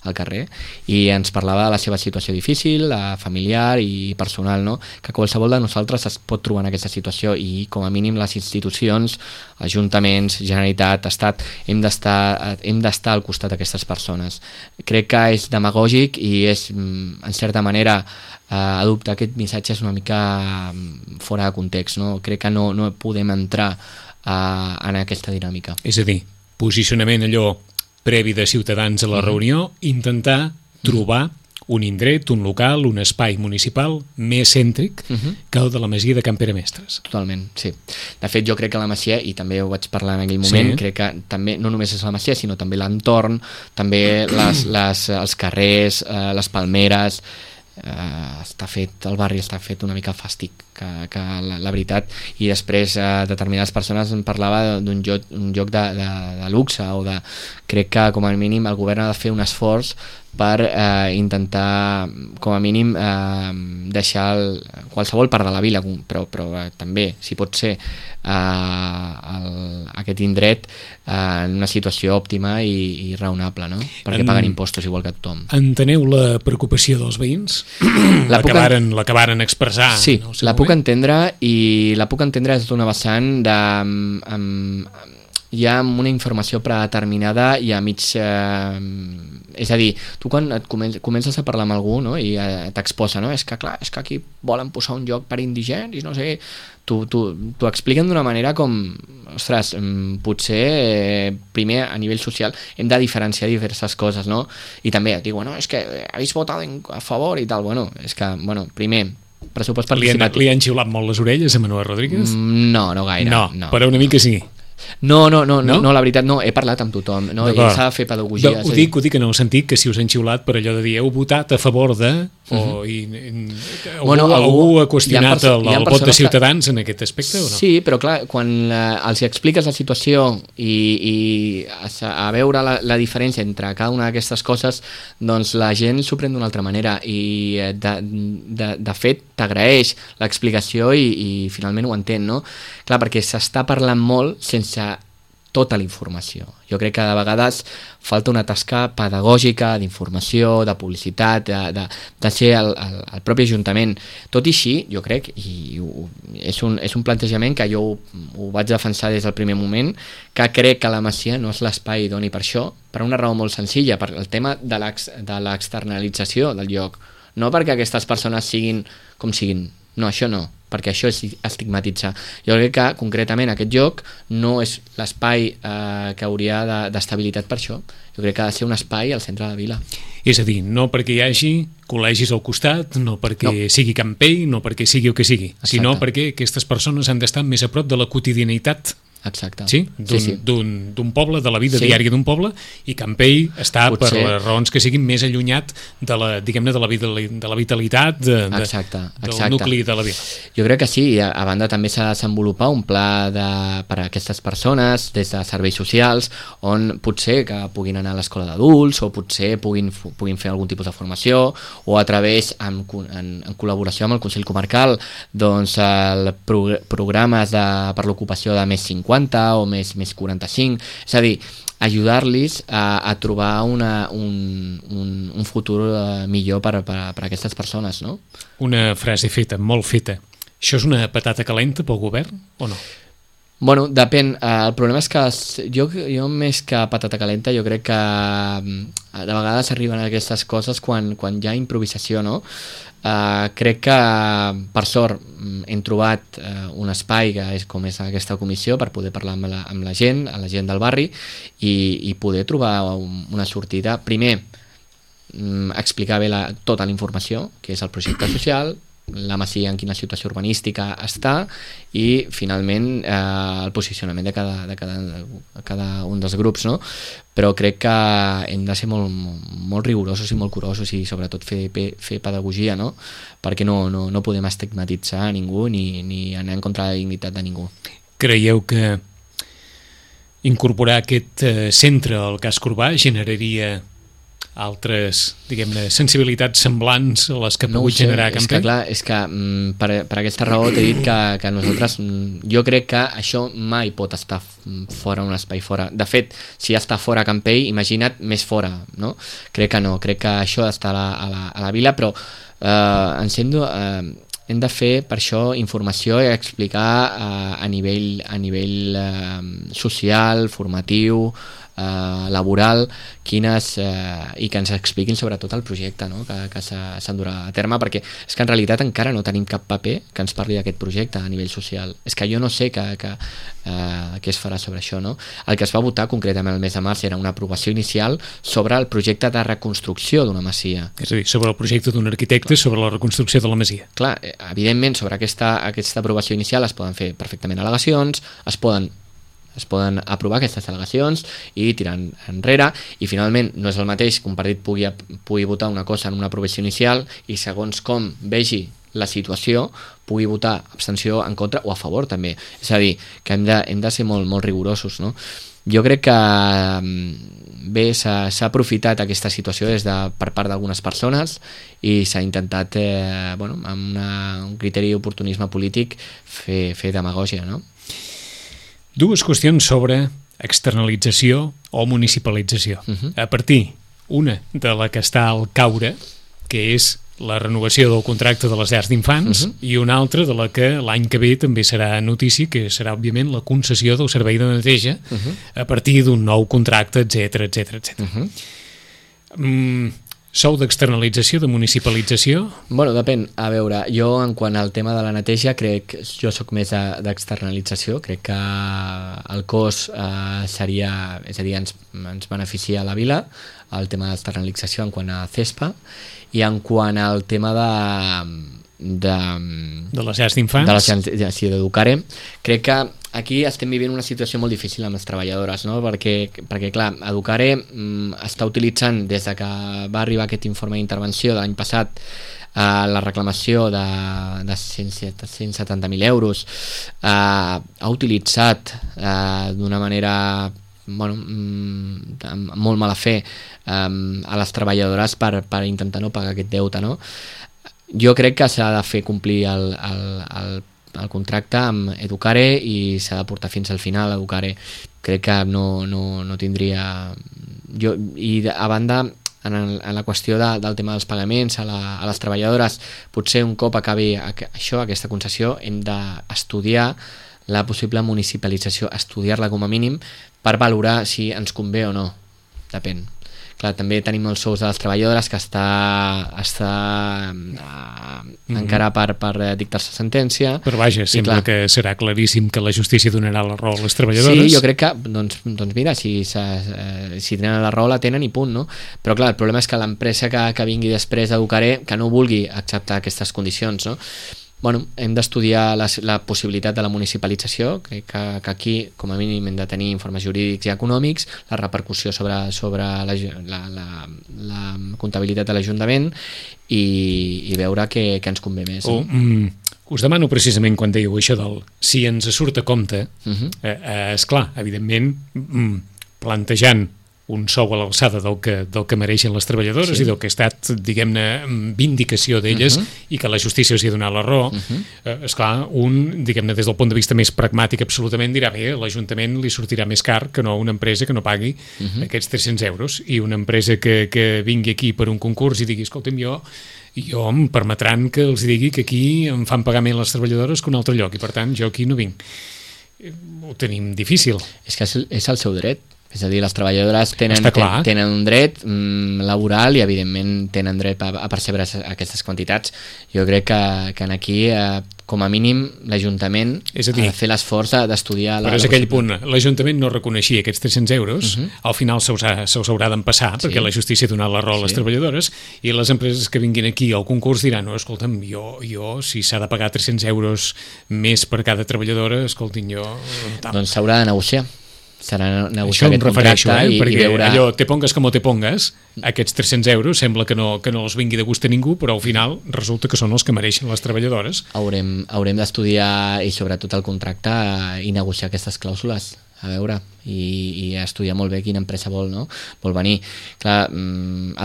al carrer, i ens parlava de la seva situació difícil, familiar i personal, no? Que qualsevol de nosaltres es pot trobar en aquesta situació i com a mínim les institucions, ajuntaments, Generalitat, Estat, hem d'estar hem d'estar al costat d'aquestes persones. Crec que és demagògic i és, en certa manera, eh, adoptar aquest missatge és una mica fora de context, no? Crec que no, no podem entrar eh, en aquesta dinàmica. És a dir, posicionament allò previ de Ciutadans a la uh-huh. reunió, intentar trobar un indret, un local, un espai municipal més cèntric uh-huh. que el de la Masia de Can Pere Mestres. Totalment, sí. De fet, jo crec que la Masia, i també ho vaig parlar en aquell moment, sí. crec que també no només és la Masia, sinó també l'entorn, també les, les, els carrers, eh, les palmeres, eh, està fet, el barri està fet una mica fàstic, que, que la, la veritat, i després eh, determinades persones em parlava d'un joc, un joc de, de, de luxe, o de, crec que com a mínim el govern ha de fer un esforç per eh, intentar com a mínim eh, deixar el, qualsevol part de la vila, però, però eh, també, si pot ser eh, el, aquest indret eh, en una situació òptima i, i raonable, no? Perquè en, paguen impostos igual que tothom. Enteneu la preocupació dels veïns? L'acabaren en... l'acabaren expressar? Sí, la puc entendre, i la puc entendre des d'una vessant de... Amb, amb, hi ha una informació predeterminada i a mig... Eh, és a dir, tu quan et comences, comences a parlar amb algú, no? I eh, t'exposa, no? És que clar, és que aquí volen posar un lloc per indigents i no sé, t'ho expliquen d'una manera com, ostres, potser eh, primer a nivell social hem de diferenciar diverses coses, no? I també et diu, bueno, és que habéis votat a favor i tal, bueno, és que, bueno, primer pressupost participatiu. Li han, li han xiulat molt les orelles a Manuel Rodríguez? Mm, no, no gaire. No, no, però una mica sí. No, no, no, no, no, la veritat no, he parlat amb tothom, no? I s'ha de fer pedagogia. De, ho, dic, ho dic en el sentit que si us han xiulat per allò de dir heu votat a favor de... o uh-huh. i, i, algú, bueno, algú, algú ha qüestionat el, el vot de Ciutadans que... en aquest aspecte o no? Sí, però clar, quan la, els expliques la situació i, i a, a veure la, la diferència entre cada una d'aquestes coses, doncs la gent s'ho pren d'una altra manera i de, de, de fet t'agraeix l'explicació i, i finalment ho entén, no? Clar, perquè s'està parlant molt sense tota la informació. Jo crec que de vegades falta una tasca pedagògica, d'informació, de publicitat, de, de, de ser el, el, el propi Ajuntament. Tot i així, jo crec, i ho, és, un, és un plantejament que jo ho, ho vaig defensar des del primer moment, que crec que la Masia no és l'espai idoni per això, per una raó molt senzilla, per el tema de l'externalització del lloc. No perquè aquestes persones siguin com siguin, no, això no, perquè això és estigmatitzar. Jo crec que concretament aquest lloc no és l'espai eh, que hauria d'estabilitat per això. Jo crec que ha de ser un espai al centre de la vila. És a dir, no perquè hi hagi col·legis al costat, no perquè no. sigui Campell, no perquè sigui el que sigui, Exacte. sinó perquè aquestes persones han d'estar més a prop de la quotidianitat. Exacte. Sí? D'un sí, sí. poble, de la vida sí. diària d'un poble, i Campell està Potser... per les raons que siguin més allunyat de la, diguem-ne, de la, vida, de la vitalitat de, de, exacte, del exacte. nucli de la vida. Jo crec que sí, a, a banda també s'ha de desenvolupar un pla de, per a aquestes persones des de serveis socials, on potser que puguin anar a l'escola d'adults o potser puguin, puguin fer algun tipus de formació, o a través, en, en, en col·laboració amb el Consell Comarcal, doncs el pro, programes de, per l'ocupació de més cinquanta o més, més quaranta-cinc, és a dir, ajudar-los a, a trobar una, un, un, un futur uh, millor per, per, per a aquestes persones, no? Una frase feta, molt feta. Això és una patata calenta pel govern o no? Bueno, depèn. Uh, el problema és que jo, jo més que patata calenta, jo crec que uh, de vegades arriben aquestes coses quan, quan hi ha improvisació, no? Uh, crec que, per sort, hem trobat uh, un espai que és com és aquesta comissió per poder parlar amb la, amb la gent, a la gent del barri, i, i poder trobar un, una sortida. Primer, um, explicar bé la, tota la informació, que és el projecte social, la Masia en quina situació urbanística està, i finalment eh, el posicionament de cada, de cada, de cada un dels grups, no? Però crec que hem de ser molt, molt rigorosos i molt curosos i sobretot fer, fer pedagogia, no? Perquè no, no, no podem estigmatitzar a ningú ni, ni anar en contra de la dignitat de ningú. Creieu que incorporar aquest eh, centre al casc urbà generaria altres, diguem-ne, sensibilitats semblants a les que ha no pogut sé, generar és Campell? que clar, és que mm, per, per aquesta raó t'he dit que, que nosaltres, mm, jo crec que això mai pot estar fora, un espai fora. De fet, si està fora Campell, imagina't més fora, no? Crec que no, crec que això està a la, a la, a la vila, però eh, ens hem de, eh, hem de fer per això informació i explicar eh, a nivell, a nivell eh, social, formatiu, Uh, laboral, quines uh, i que ens expliquin sobretot el projecte, no? que, que s'endurà a terme, perquè és que en realitat encara no tenim cap paper que ens parli d'aquest projecte a nivell social. És que jo no sé que, que, uh, què es farà sobre això, no? El que es va votar concretament el mes de març era una aprovació inicial sobre el projecte de reconstrucció d'una masia. És a dir, sobre el projecte d'un arquitecte sobre la reconstrucció de la masia. Clar, evidentment sobre aquesta, aquesta aprovació inicial es poden fer perfectament al·legacions, es poden es poden aprovar aquestes al·legacions i tirar enrere, i finalment no és el mateix que un partit pugui, pugui votar una cosa en una aprovació inicial i segons com vegi la situació pugui votar abstenció en contra o a favor també. És a dir, que hem de, hem de ser molt, molt rigorosos, no? Jo crec que bé, s'ha aprofitat aquesta situació des de, per part d'algunes persones i s'ha intentat eh, bueno, amb una, un criteri d'oportunisme polític fer, fer demagògia, no? Dues qüestions sobre externalització o municipalització. Uh-huh. A partir, una de la que està al caure, que és la renovació del contracte de les llars d'infants, uh-huh. i una altra de la que l'any que ve també serà notícia, que serà òbviament la concessió del servei de neteja uh-huh. a partir d'un nou contracte, etcètera, etcètera, etcètera. Uh-huh. Mm, sou d'externalització, de municipalització? Bueno, depèn. A veure, jo en quant al tema de la neteja crec, jo sóc més d'externalització, crec que el cost eh, seria, és a dir, ens, ens beneficia a la vila, el tema d'externalització en quant a CESPA, i en quant al tema de de, de les llars d'infants, de les llars sí, d'Educare, crec que aquí estem vivint una situació molt difícil amb les treballadores, no? perquè, perquè clar, Educare mm, està utilitzant des de que va arribar aquest informe d'intervenció de l'any passat eh, la reclamació de, de cent setanta mil euros, eh, ha utilitzat eh, d'una manera bueno, amb molt mala fe eh, a les treballadores per, per intentar no pagar aquest deute, no? Jo crec que s'ha de fer complir el, el, el, el contracte amb Educare i s'ha de portar fins al final Educare. Crec que no, no, no tindria... Jo, i a banda, en, el, en la qüestió de, del tema dels pagaments a, la, a les treballadores, potser un cop acabi això, aquesta concessió, hem d'estudiar la possible municipalització, estudiar-la com a mínim per valorar si ens convé o no. Depèn. Clar, també tenim els sous de les treballadores que està, està uh, mm-hmm. encara per, per dictar-se sentència. Però vaja, sembla clar, que serà claríssim que la justícia donarà la raó a les treballadores. Sí, jo crec que, doncs, doncs mira, si, eh, si tenen la raó la tenen i punt, no? Però clar, el problema és que l'empresa que, que vingui després d'Educare, que no vulgui acceptar aquestes condicions, no? Bueno, hem d'estudiar la, la possibilitat de la municipalització, crec que, que aquí com a mínim hem de tenir informes jurídics i econòmics, la repercussió sobre, sobre la, la, la, la comptabilitat de l'Ajuntament i, i veure què, què ens convé més. Oh, mm, us demano precisament quan dèieu això del si ens surt a compte, uh-huh. eh, eh, esclar, evidentment mm, plantejant un sou a l'alçada del que, del que mereixen les treballadores sí. i del que ha estat, diguem-ne, vindicació d'elles uh-huh. i que la justícia els hi ha donat la raó, uh-huh. eh, esclar, un, diguem-ne, des del punt de vista més pragmàtic absolutament dirà, bé, l'Ajuntament li sortirà més car que no una empresa que no pagui uh-huh. aquests tres-cents euros, i una empresa que, que vingui aquí per un concurs i digui, escolta'm, jo jo em permetran que els digui que aquí em fan pagar més les treballadores que un altre lloc, i per tant jo aquí no vinc. Ho tenim difícil. És que és el seu dret. És a dir, les treballadores tenen, ten, tenen un dret mm, laboral i evidentment tenen dret a, a percebre aquestes quantitats. Jo crec que, que aquí, eh, com a mínim, l'Ajuntament ha de fer l'esforç d'estudiar... Però és aquell punt, l'Ajuntament no reconeixia aquests tres-cents euros, uh-huh. al final se'ls se haurà d'empassar, sí. perquè la justícia ha donat la raó a les sí. treballadores, i les empreses que vinguin aquí al concurs diran, no, escolta'm, jo, jo si s'ha de pagar tres-cents euros més per cada treballadora, escoltin, jo... Doncs s'haurà de negociar. Serà això negociar aquest contracte eh? i, perquè i veure... allò, te pongues com te pongues, aquests tres-cents euros sembla que no, que no els vingui de gust a ningú, però al final resulta que són els que mereixen les treballadores. Haurem, haurem d'estudiar i sobretot el contracte i negociar aquestes clàusules a veure, i, i estudiar molt bé quina empresa vol, no? vol venir. Clar,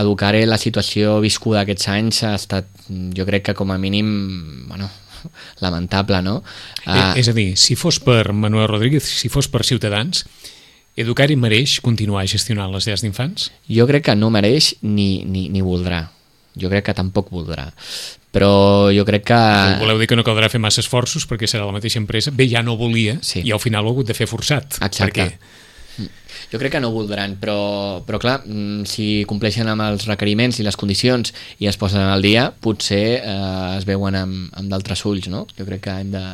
Educare, la situació viscuda aquests anys ha estat, jo crec que com a mínim, bueno, lamentable, no? Uh, és a dir, si fos per Manuel Rodríguez, si fos per Ciutadans, Educare mereix continuar gestionant les llars d'infants? Jo crec que no mereix ni, ni, ni voldrà. Jo crec que tampoc voldrà. Però jo crec que... Voleu dir que no caldrà fer massa esforços perquè serà la mateixa empresa? Bé, ja no volia, sí. I al final ho ha hagut de fer forçat. Exacte. Perquè... Jo crec que no voldran, però, però clar, si compleixen amb els requeriments i les condicions i es posen al dia, potser eh, es veuen amb, amb d'altres ulls, no? Jo crec que hem de,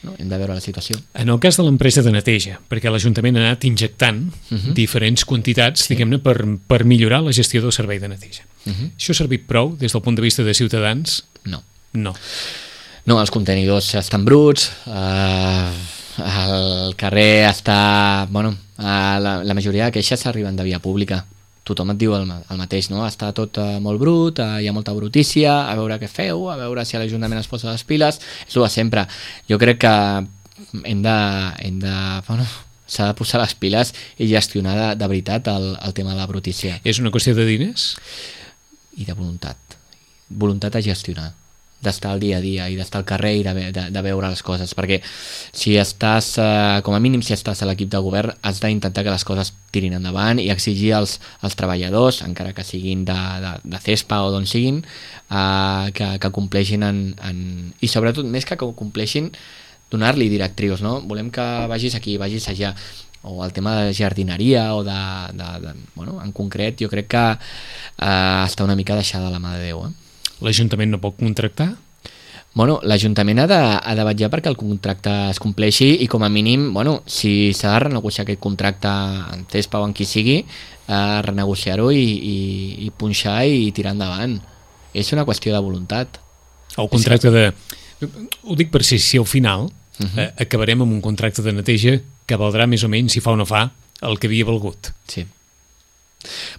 no? hem de veure la situació. En el cas de l'empresa de neteja, perquè l'Ajuntament ha anat injectant uh-huh. diferents quantitats, sí. diguem-ne, per, per millorar la gestió del servei de neteja. Uh-huh. Això ha servit prou des del punt de vista de Ciutadans? No. No. No, els contenidors estan bruts, eh, el carrer està... Bueno, eh, la, la majoria de queixes arriben de via pública. Tothom et diu el, el mateix, no? Està tot eh, molt brut, eh, hi ha molta brutícia, a veure què feu, a veure si l'Ajuntament es posa les piles, és el de sempre. Jo crec que hem de... Hem de bueno, s'ha de posar les piles i gestionar de, de veritat el, el tema de la brutícia. És una qüestió de diners? I de voluntat. Voluntat a gestionar, d'estar al dia a dia i d'estar al carrer i de, de, de veure les coses, perquè si estàs, eh, com a mínim si estàs a l'equip de govern, has d'intentar que les coses tirin endavant i exigir als, als treballadors, encara que siguin de, de, de CESPA o d'on siguin, eh, que, que compleixin en, en... i sobretot, més que compleixin, donar-li directrius, no? Volem que vagis aquí, vagis allà, o el tema de jardineria o de, de, de bueno, en concret jo crec que eh, està una mica deixada a la mà de Déu. Eh? L'Ajuntament no pot contractar? Bueno, l'Ajuntament ha de, ha de vetllar perquè el contracte es compleixi i com a mínim, bueno, si s'ha de renegociar aquest contracte en CESPA o en qui sigui, eh, renegociar-ho i, i, i punxar i tirar endavant. És una qüestió de voluntat. El contracte de... Ho dic per si, si al final uh-huh. eh, acabarem amb un contracte de neteja que valdrà més o menys, si fa o no fa, el que havia valgut. Sí.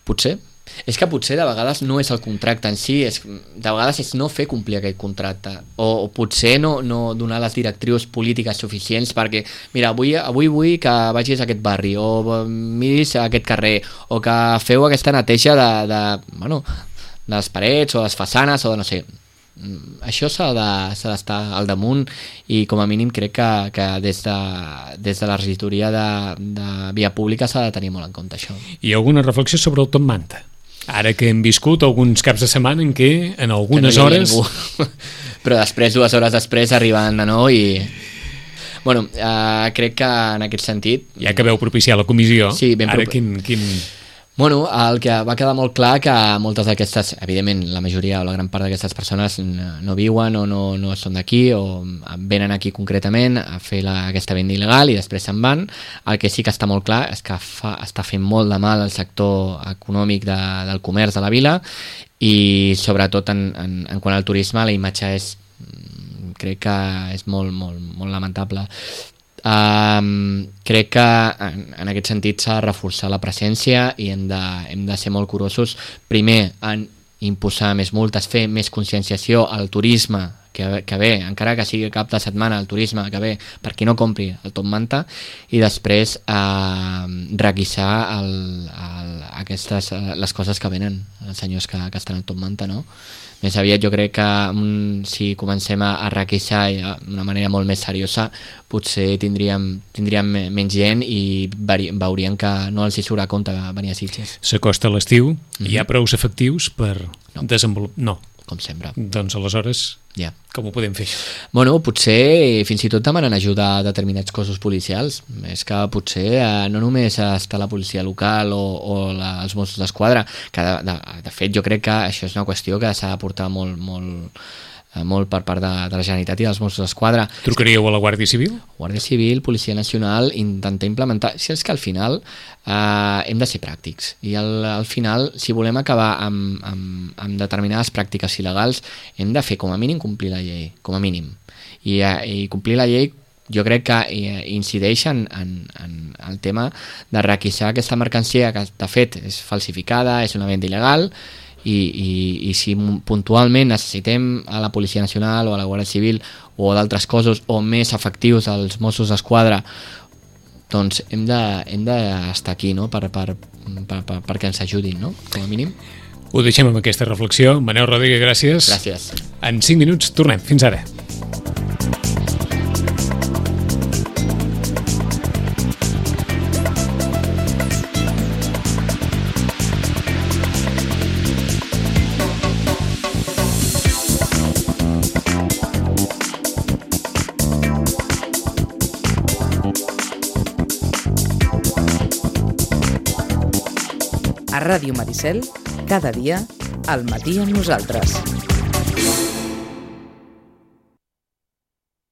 Potser. És que potser de vegades no és el contracte en si, és, de vegades és no fer complir aquest contracte, o, o potser no, no donar les directrius polítiques suficients perquè, mira, avui, avui vull que vagis a aquest barri, o miris a aquest carrer, o que feu aquesta neteja de, de, bueno, de les parets, o les façanes, o de no sé... Això s'ha de, s'ha d'estar al damunt i com a mínim crec que, que des, de, des de la regidoria de, de via pública s'ha de tenir molt en compte això. I alguna reflexió sobre el Top Manta? Ara que hem viscut alguns caps de setmana en què en algunes no hores... Però després, dues hores després, arriben de nou i... Bueno, eh, crec que en aquest sentit... Ja que veu propiciar la comissió, sí, ben ara prop... quin... quin... Bueno, el que va quedar molt clar que moltes d'aquestes, evidentment la majoria o la gran part d'aquestes persones no viuen o no, no són d'aquí o venen aquí concretament a fer la, aquesta venda il·legal i després se'n van. El que sí que està molt clar és que fa, està fent molt de mal al sector econòmic de, del comerç de la vila i sobretot en, en, en quant al turisme la imatge és, crec que és molt, molt, molt lamentable. Um, crec que en, en aquest sentit s'ha de reforçar la presència i hem de, hem de ser molt curosos primer en imposar més multes, fer més conscienciació al turisme que, que ve, encara que sigui cap de setmana el turisme que ve per qui no compri el Top Manta i després uh, requisar el, el, aquestes, les coses que venen els senyors que, que estan al Top Manta, no? Més aviat jo crec que um, si comencem a, a requisar d'una manera molt més seriosa potser tindríem, tindríem menys gent i veuríem que no els hi surt a compte venir a Sitges. S'acosta l'estiu, mm-hmm. Hi ha prous efectius per no. desenvolupar... No. Com sempre. Doncs aleshores, yeah. Com ho podem fer? Bueno, potser fins i tot demanen ajuda a determinats cossos policials. És que potser eh, no només està la policia local o, o la, els Mossos d'Esquadra, que de, de, de fet jo crec que això és una qüestió que s'ha de portar molt, molt, molt per part de, de la Generalitat i dels Mossos d'Esquadra. Trucaríeu a la Guàrdia Civil? Guàrdia Civil, Policia Nacional, intentar implementar... Si és que al final eh, hem de ser pràctics i al, al final, si volem acabar amb, amb, amb determinades pràctiques il·legals, hem de fer com a mínim complir la llei, com a mínim. I, eh, i complir la llei jo crec que eh, incideix en, en, en el tema de requisar aquesta mercancia que de fet és falsificada, és una venda il·legal. I, i, i si puntualment necessitem a la Policia Nacional o a la Guàrdia Civil o d'altres cossos o més efectius als Mossos d'Esquadra doncs hem d'estar de, hem de aquí, no? per, per, per, per, perquè ens ajudin, no? Com a mínim. Ho deixem amb aquesta reflexió. Manel Rodríguez, gràcies. Gràcies. En cinc minuts tornem. Fins ara. A Ràdio Maricel, cada dia, al matí amb nosaltres.